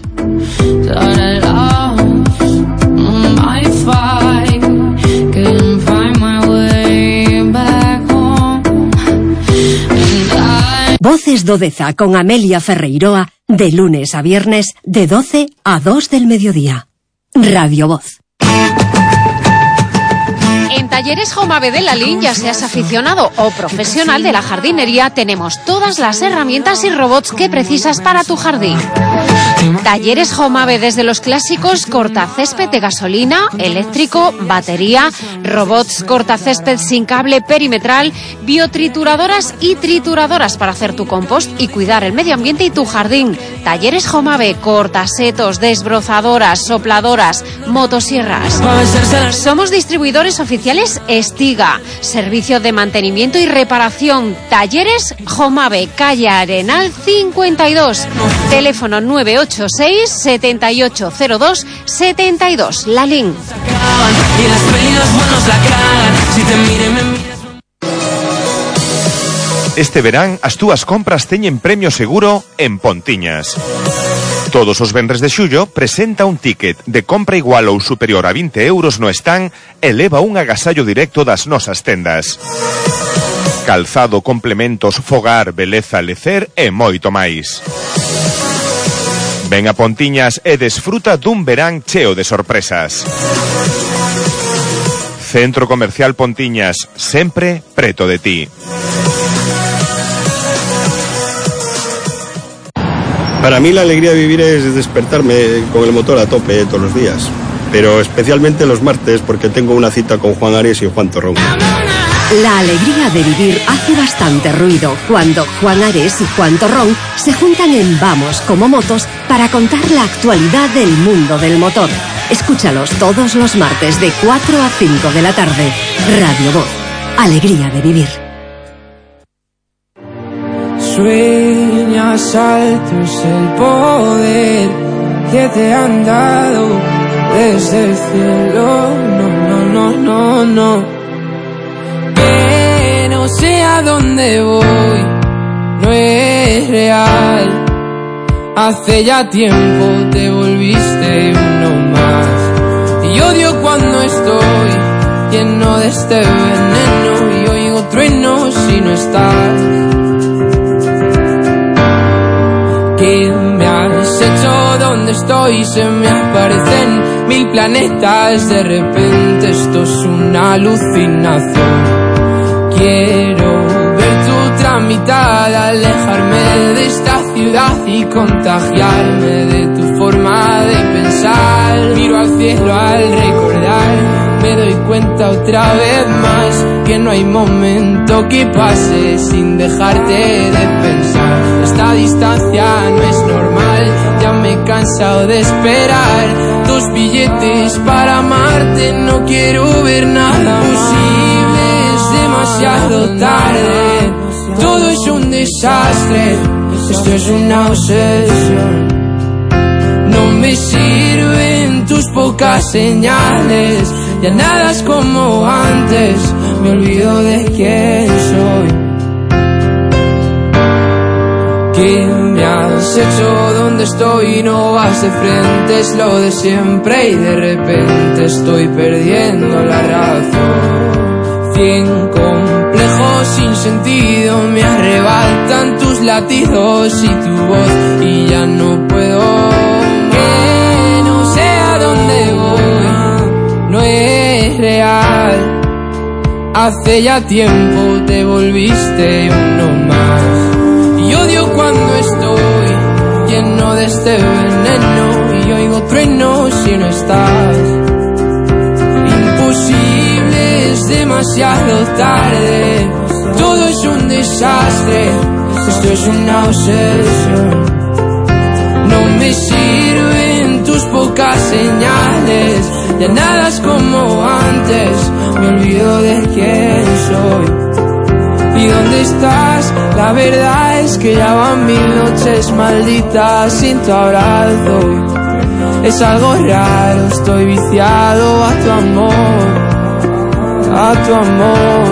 Voces do Deza con Amelia Ferreiroa, de lunes a viernes, de 12 a 2 del mediodía. Radio Voz. En Talleres Jomave de Lalín, ya seas aficionado o profesional de la jardinería, tenemos todas las herramientas y robots que precisas para tu jardín. Talleres Jomave, desde los clásicos cortacésped de gasolina, eléctrico, batería, robots cortacésped sin cable perimetral, biotrituradoras y trituradoras para hacer tu compost y cuidar el medio ambiente y tu jardín. Talleres Jomave, cortasetos, desbrozadoras, sopladoras, motosierras. Somos distribuidores oficiales Estiga, servicio de mantenimiento y reparación. Talleres Jomave, calle Arenal 52, teléfono 986 7802 72, Lalín. Este verán as túas compras teñen premio seguro en Pontiñas. Todos os venres de xullo presenta un ticket de compra igual ou superior a 20 euros no stand e leva un agasallo directo das nosas tendas. Calzado, complementos, fogar, beleza, lecer e moito máis. Ven a Pontiñas e desfruta dun verán cheo de sorpresas. Centro Comercial Pontiñas, sempre preto de ti. Para mí la alegría de vivir es despertarme con el motor a tope todos los días, pero especialmente los martes porque tengo una cita con Juan Ares y Juan Torrón. La alegría de vivir hace bastante ruido cuando Juan Ares y Juan Torrón se juntan en Vamos como Motos para contar la actualidad del mundo del motor. Escúchalos todos los martes de 4 a 5 de la tarde. Radio Voz. Alegría de vivir. Sueñas alto es el poder que te han dado desde el cielo. No. Que no sé a dónde voy, no es real. Hace ya tiempo te volviste uno más. Y odio cuando estoy lleno de este veneno y oigo truenos si no estás. ¿Qué me has hecho? ¿Dónde estoy? Se me aparecen 1000 planetas. De repente esto es una alucinación. Quiero ver tu tramitada, alejarme de esta ciudad y contagiarme de tu forma de pensar. Miro al cielo al recordar, me doy cuenta otra vez más que no hay momento que pase sin dejarte de pensar. Esta distancia no es normal, ya me he cansado de esperar. 2 billetes para amarte, no quiero ver nada posible, es demasiado tarde. Todo es un desastre, esto es una obsesión. No me sirven tus pocas señales, ya nada es como antes, me olvido de quién soy. ¿Qué me has hecho? ¿Dónde estoy? No vas de frente, es lo de siempre y de repente estoy perdiendo la razón. 100 complejos sin sentido me arrebatan tus latidos y tu voz y ya no puedo. Que no sé a dónde voy, no es real. Hace ya tiempo te volviste uno más. Y odio cuando estoy lleno de este veneno y oigo truenos si no estás. Imposible, es demasiado tarde. Todo es un desastre, esto es una obsesión. No me sirven tus pocas señales, ya nada es como antes, me olvido de quién soy. ¿Y dónde estás? La verdad es que ya van 1000 noches malditas sin tu abrazo. Es algo raro, estoy viciado a tu amor, a tu amor,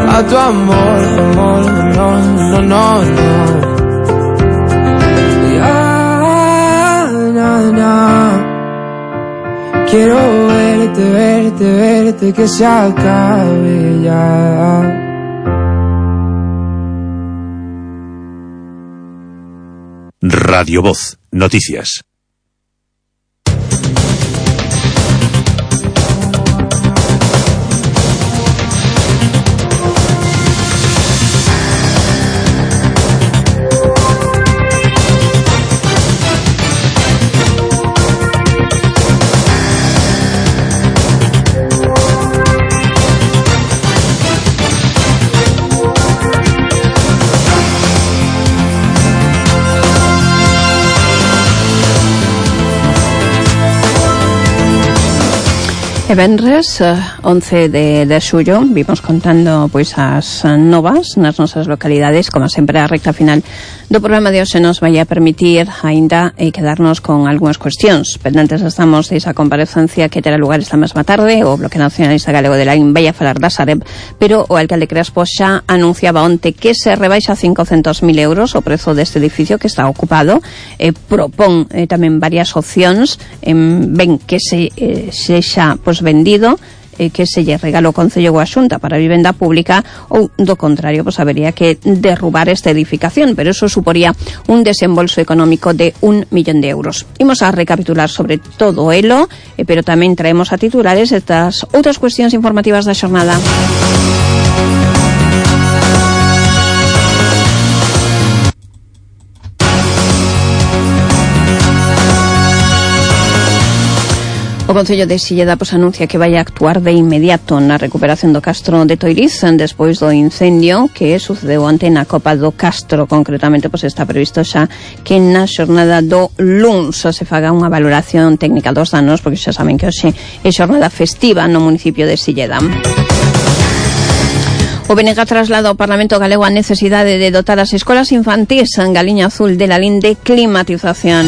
a tu amor, amor, no. Quiero verte, que se acabe ya. Radio Voz, noticias. E venres 11 de xullo, vimos contando pois as novas nas nosas localidades. Como sempre, a recta final do programa de hoxe nos vai a permitir aínda quedarnos con algunhas cuestións pendentes. Estamos desa comparecencia que terá lugar esta mesma tarde. O Bloque Nacionalista Galego de Laín vai a falar da Sareb, pero o alcalde Crespo xa anunciaba onte que se rebaixa 500.000 euros o prezo deste edificio que está ocupado. Propón tamén varias opcións, ben que sexa pois vendido, que se lle regalo o Concello ou a Xunta para a vivenda pública, ou do contrario, pois habería que derrubar esta edificación, pero eso suporía un desembolso económico de 1 millón de euros. Imos a recapitular sobre todo elo, pero tamén traemos a titulares estas outras cuestións informativas da xornada. O Concello de Silleda anuncia que vai a actuar de inmediato na recuperación do Castro de Toiriz despois do incendio que sucedeu onte na Copa do Castro. Concretamente, está previsto xa que na xornada do luns se faga unha valoración técnica dos danos, porque xa saben que hoxe é xornada festiva no municipio de Silleda. O BNG traslada ao Parlamento Galego a necesidade de dotar as escolas infantís en Galiña Azul de la LIN de climatización.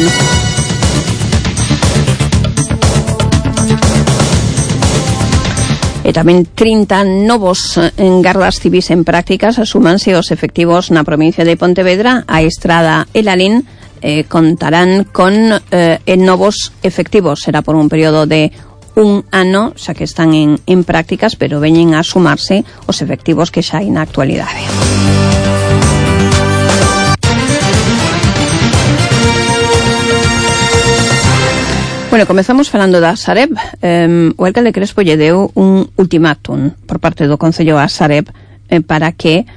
E tamén 30 novos gardas civis en prácticas asúmanse os efectivos na provincia de Pontevedra. A Estrada e la LIN contarán con novos efectivos. Será por un período de un ano, xa que están en prácticas, pero veñen a sumarse os efectivos que xa hai na actualidade. Bueno, comezamos falando da Sareb. O alcalde Crespo lle deu un ultimátum por parte do Concello a Sareb para que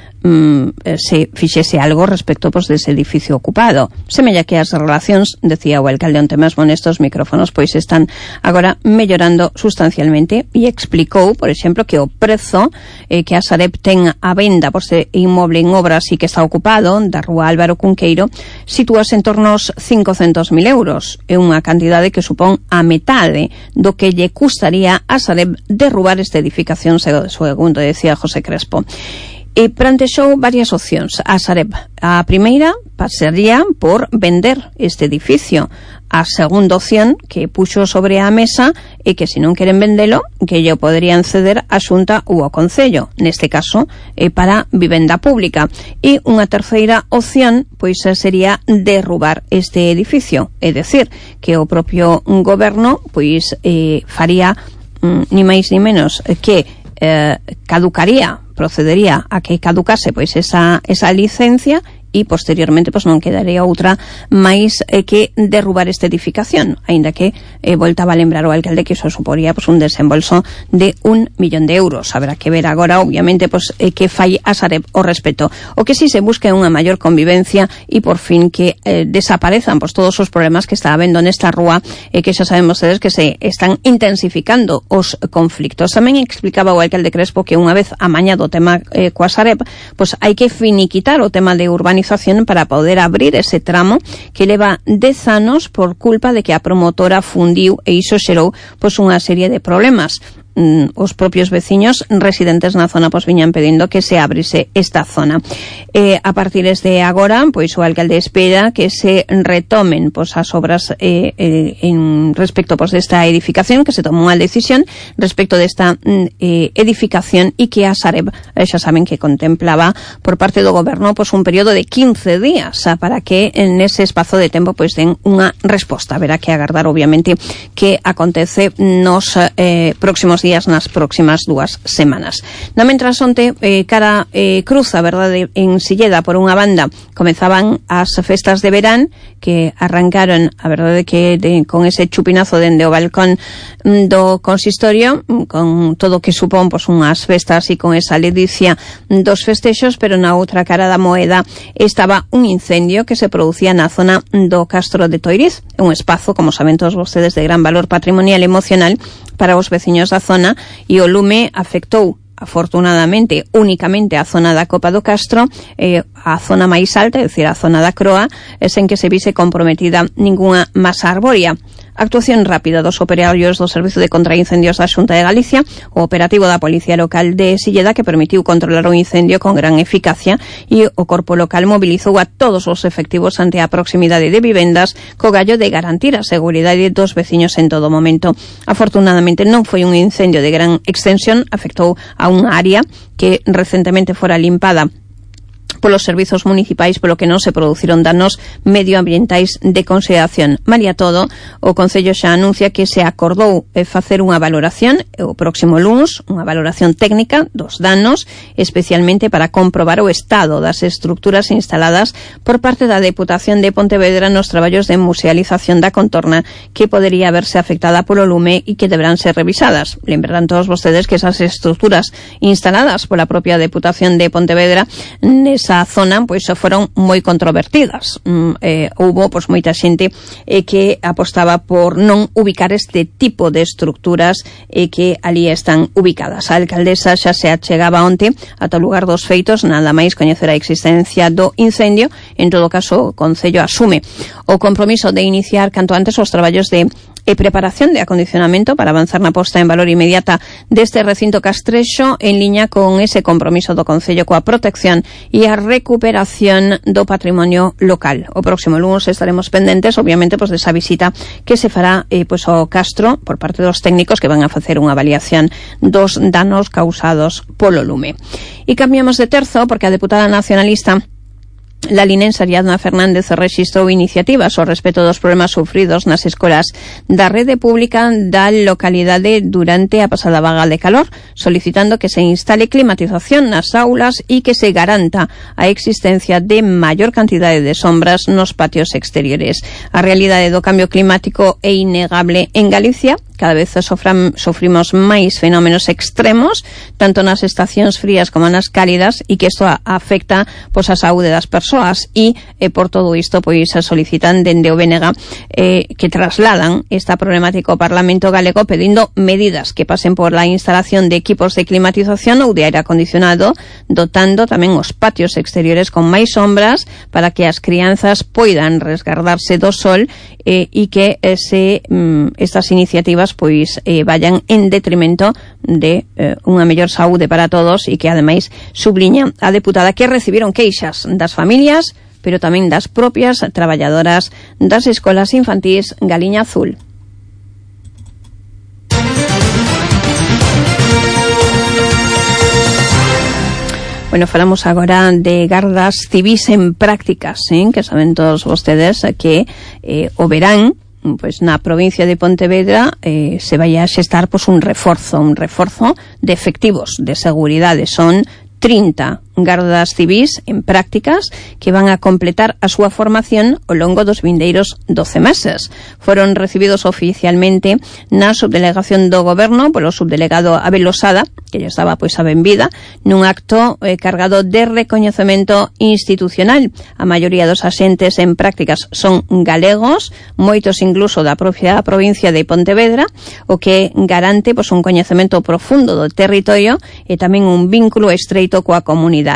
se fixese algo respecto dese edificio ocupado. Semella que as relacións, decía o alcalde onte mesmo nestos micrófonos, están agora mellorando sustancialmente, e explicou, por exemplo, que o prezo que a Sareb ten a venda por este inmoble en obras e que está ocupado da rúa Álvaro Cunqueiro sitúase en torno aos 500.000 euros. É unha cantidade que supón a metade do que lle custaría a Sareb derrubar esta edificación, segundo decía José Crespo. E plantexou varias opcións a Sareb. A primeira pasaría por vender este edificio. A segunda opción que puxo sobre a mesa é que se non queren vendelo, que lle poderían ceder a Xunta ou ao Concello, neste caso para vivenda pública. E unha terceira opción sería derrubar este edificio, é dicir, que o propio goberno faría ni máis ni menos que procedería a que caducase esa licencia e posteriormente non quedaría outra máis que derrubar esta edificación, aínda que voltaba a lembrar o alcalde que iso suporía un desembolso de 1 millón de euros. Habrá que ver agora, obviamente, que fai a Sareb o respeto. O que sí se busca é unha maior convivencia e por fin que desaparezan todos os problemas que está habendo nesta rúa, e que xa saben vostedes que se están intensificando os conflictos. Tamén explicaba o alcalde Crespo que unha vez amañado o tema coa Sareb, hai que finiquitar o tema de urbanización para poder abrir ese tramo que leva 10 anos por culpa de que a promotora fundiu, e iso xerou unha serie de problemas. Os propios veciños residentes na zona viñan pedindo que se abrise esta zona. A partir de agora, o alcalde espera que se retomen as obras en respecto desta edificación, que se tomou unha decisión respecto desta edificación, e que a Sareb xa saben que contemplaba por parte do goberno un período de 15 días para que nese espazo de tempo den unha resposta. Haberá que agardar, obviamente, que acontece nos próximos días, nas próximas 2 semanas. Na mentras onte, cara cruz, a verdade, en Silleda, por unha banda, comezaban as festas de verán, que arrancaron, a verdade, que con ese chupinazo dende o balcón do consistorio, con todo o que supón unhas festas e con esa ledicia dos festexos, pero na outra cara da moeda estaba un incendio que se producía na zona do Castro de Toiriz, un espazo, como saben todos vostedes, de gran valor patrimonial e emocional para os veciños da zona, e o lume afectou afortunadamente únicamente a zona da Copa do Castro, a zona máis alta, é dicir, a zona da Croa, sen que se vise comprometida ningunha masa arbórea. actuación rápida dos operarios do Servizo de Contraincendios da Xunta de Galicia, o operativo da Policía Local de Silleda, que permitiu controlar o incendio con gran eficacia, e o corpo local mobilizou a todos os efectivos ante a proximidade de vivendas co gallo de garantir a seguridade dos veciños en todo momento. Afortunadamente non foi un incendio de gran extensión, afectou a unha área que recentemente fora limpada polos servizos municipais, polo que non se produciron danos medioambientais de consideración. Malia todo, o Concello xa anuncia que se acordou facer unha valoración o próximo luns, unha valoración técnica dos danos, especialmente para comprobar o estado das estructuras instaladas por parte da Deputación de Pontevedra nos traballos de musealización da contorna, que podería verse afectada polo lume e que deberán ser revisadas. Lembrarán todos vostedes que esas estructuras instaladas pola propia Deputación de Pontevedra nesa zona pois foron moi controvertidas. Houbo pois moita xente que apostaba por non ubicar este tipo de estructuras que ali están ubicadas. A alcaldesa xa se achegaba onte ata o lugar dos feitos, nada máis coñecer a existencia do incendio. En todo caso, o Concello asume o compromiso de iniciar canto antes os traballos de preparación de acondicionamento para avanzar na posta en valor inmediata deste recinto castrexo, en liña con ese compromiso do Concello coa protección e a recuperación do patrimonio local. O próximo lunes estaremos pendentes, obviamente, pois desa visita que se fará pois ao Castro por parte dos técnicos que van a facer unha avaliación dos danos causados polo lume. E cambiamos de terzo porque a deputada nacionalista la linense Ariadna Fernández rexistrou iniciativas ao respecto dos problemas sufridos nas escolas da rede pública da localidade durante a pasada vaga de calor, solicitando que se instale climatización nas aulas e que se garanta a existencia de maior cantidade de sombras nos patios exteriores. A realidade do cambio climático é innegable en Galicia. Cada vez sofrimos máis fenómenos extremos, tanto nas estacións frías como nas cálidas, e que isto afecta pois a saúde das persoas, e por todo isto pois solicitan dende o BNG que trasladan esta problemática ao Parlamento Galego, pedindo medidas que pasen por la instalación de equipos de climatización ou de aire acondicionado, dotando tamén os patios exteriores con máis sombras para que as crianzas poidan resguardarse do sol, e que estas iniciativas pois vayan en detrimento de unha mellor saúde para todos, e que ademais subliña a deputada que recibiron queixas das familias, pero tamén das propias traballadoras das escolas infantís Galiña Azul. Bueno, falamos agora de gardas civís en prácticas, que saben todos vostedes que o verán, pois na provincia de Pontevedra se vai a xestar pois un reforzo de efectivos de seguridade. Son 30 gardas civís en prácticas que van a completar a súa formación ao longo dos vindeiros 12 meses. Foron recibidos oficialmente na subdelegación do Goberno polo subdelegado Abel Losada, que ya estaba pois a benvida, nun acto cargado de recoñecemento institucional. A maioría dos axentes en prácticas son galegos, moitos incluso da propia provincia de Pontevedra, o que garante pois un coñecemento profundo do territorio e tamén un vínculo estreito coa comunidade.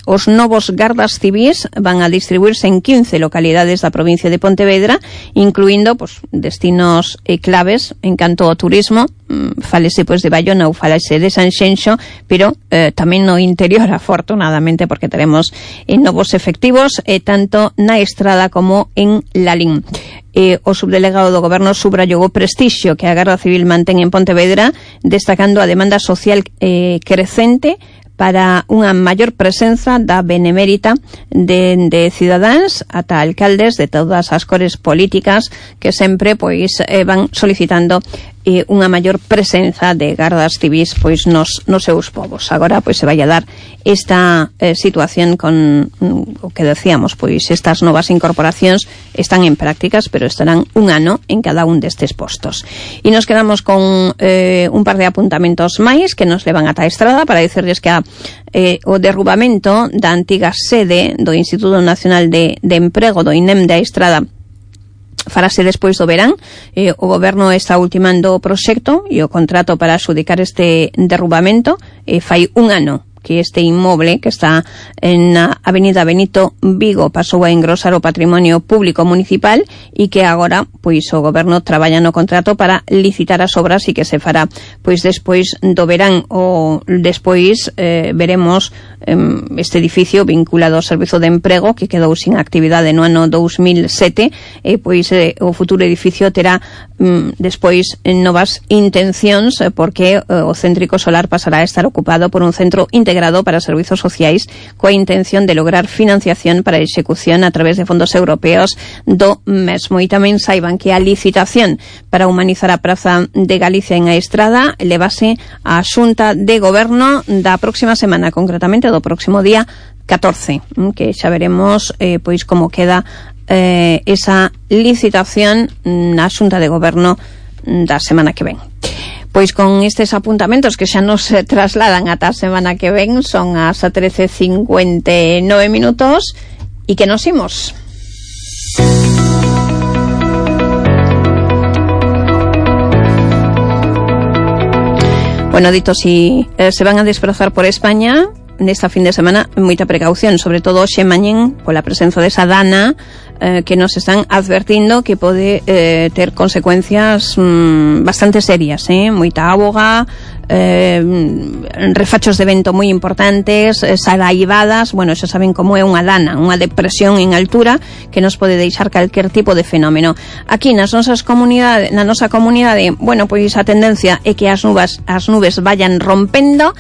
Os novos gardas civís van a distribuirse en 15 localidades da provincia de Pontevedra, incluindo pois destinos claves en canto ao turismo. Fálese pois de Bayona ou fálese de Sanxenxo, pero tamén no interior, afortunadamente, porque teremos novos efectivos tanto na Estrada como en Lalín. O subdelegado do Goberno subrayou o prestixio que a Garda Civil mantén en Pontevedra, destacando a demanda social crecente para unha maior presenza da benemérita de cidadáns ata alcaldes de todas as cores políticas, que sempre pois van solicitando unha maior presenza de gardas civís pois nos seus povos. Agora pois se vai a dar esta situación con o que decíamos, pois estas novas incorporacións están en prácticas, pero estarán un ano en cada un destes postos. E nos quedamos con un par de apuntamentos máis que nos levan ata a Estrada para dicirles que o derrubamento da antiga sede do Instituto Nacional de Emprego do INEM de Estrada farase despois do verán. O Goberno está ultimando o proxecto e o contrato para adxudicar este derrubamento. Fai un ano que este inmoble que está en a Avenida Benito Vigo pasou a engrosar o patrimonio público municipal e que agora pois o goberno traballa no contrato para licitar as obras e que se fará pois despois do verán ou despois veremos este edificio vinculado ao servizo de emprego que quedou sin actividade no ano 2007 e pois o futuro edificio terá despois novas intencións porque o céntrico solar pasará a estar ocupado por un centro integrado para servizos sociais coa intención de lograr financiación para a execución a través de fondos europeos do mesmo. E tamén saiban que a licitación para humanizar a Praza de Galicia en A Estrada levase a Xunta de Goberno da próxima semana, concretamente do próximo día 14, que xa veremos pois como queda esa licitación na Xunta de Goberno da semana que ven. Pois con estes apuntamentos que xa nos trasladan ata a semana que ven, son as 13:59 minutos e que nos imos. Bueno, dito, si se van a desplazar por España nesta fin de semana, moita precaución, sobre todo hoxe mañén pola presenza desa dana que nos están advertindo que pode ter consecuencias bastante serias, moita auga, refachos de vento moi importantes, saraivadas. Bueno, xa saben como é unha dana, unha depresión en altura que nos pode deixar calquer tipo de fenómeno. Aquí na nosa comunidade, bueno, pois a tendencia é que as nubes vayan rompendo